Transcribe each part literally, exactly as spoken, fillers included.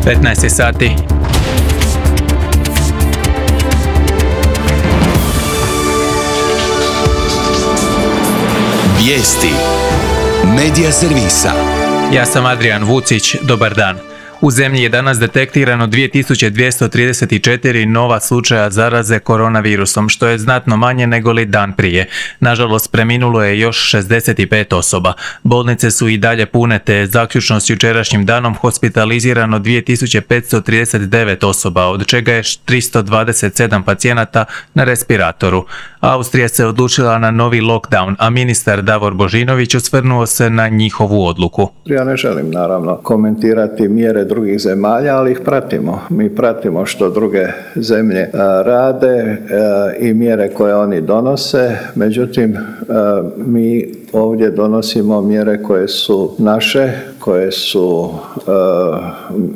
petnaest sati. Vijesti Medija servisa. Ja sam Adrian Vucić, dobar dan. U zemlji je danas detektirano dvije tisuće dvjesto trideset četiri nova slučaja zaraze koronavirusom, što je znatno manje nego li dan prije. Nažalost, preminulo je još šezdeset pet osoba. Bolnice su i dalje pune, te je zaključno s jučerašnjim danom hospitalizirano dvije tisuće petsto trideset devet osoba, od čega je tristo dvadeset sedam pacijenata na respiratoru. Austrija se odlučila na novi lockdown, a ministar Davor Božinović osvrnuo se na njihovu odluku. Ja ne želim naravno komentirati mjere drugih zemalja, ali ih pratimo. Mi pratimo što druge zemlje rade i mjere koje oni donose. Međutim, mi ovdje donosimo mjere koje su naše, koje su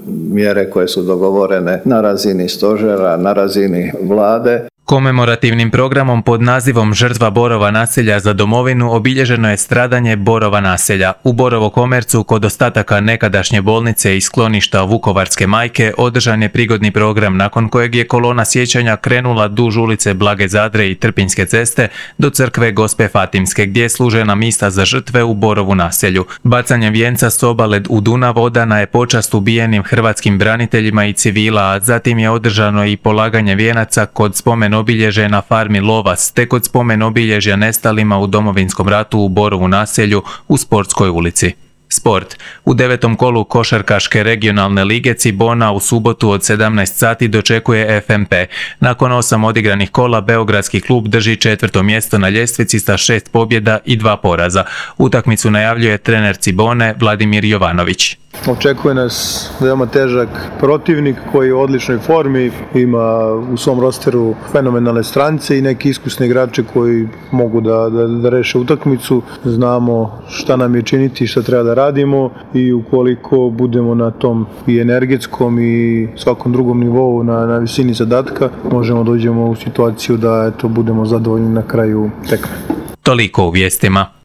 mjere koje su dogovorene na razini stožera, na razini vlade. Komemorativnim programom pod nazivom Žrtva Borova naselja za domovinu obilježeno je stradanje Borova naselja. U Borovo Komercu, kod ostataka nekadašnje bolnice i skloništa Vukovarske majke, održan je prigodni program nakon kojeg je kolona sjećanja krenula duž ulice Blage Zadre i Trpinjske ceste do crkve Gospe Fatimske, gdje je služena misa za žrtve u Borovu naselju. Bacanjem vijenca s obale u Dunav odana je počast ubijenim hrvatskim braniteljima i civila, a zatim je održano i polaganje vijenaca kod spomen obilježja na farmi Lovas, te kod spomen obilježja nestalima u Domovinskom ratu u Borovu naselju u Sportskoj ulici. Sport. U devetom kolu košarkaške regionalne lige Cibona u subotu od sedamnaest sati dočekuje F M P. Nakon osam odigranih kola, beogradski klub drži četvrto mjesto na ljestvici sa šest pobjeda i dva poraza. Utakmicu najavljuje trener Cibone Vladimir Jovanović. Očekuje nas veoma težak protivnik koji je u odličnoj formi, ima u svom rosteru fenomenalne strance i neki iskusni igrači koji mogu da, da, da reše utakmicu. Znamo šta nam je činiti, šta treba da radimo i ukoliko budemo na tom i energetskom i svakom drugom nivou na, na visini zadatka, možemo dođemo u situaciju da eto, budemo zadovoljni na kraju tekme. Toliko u vijestima.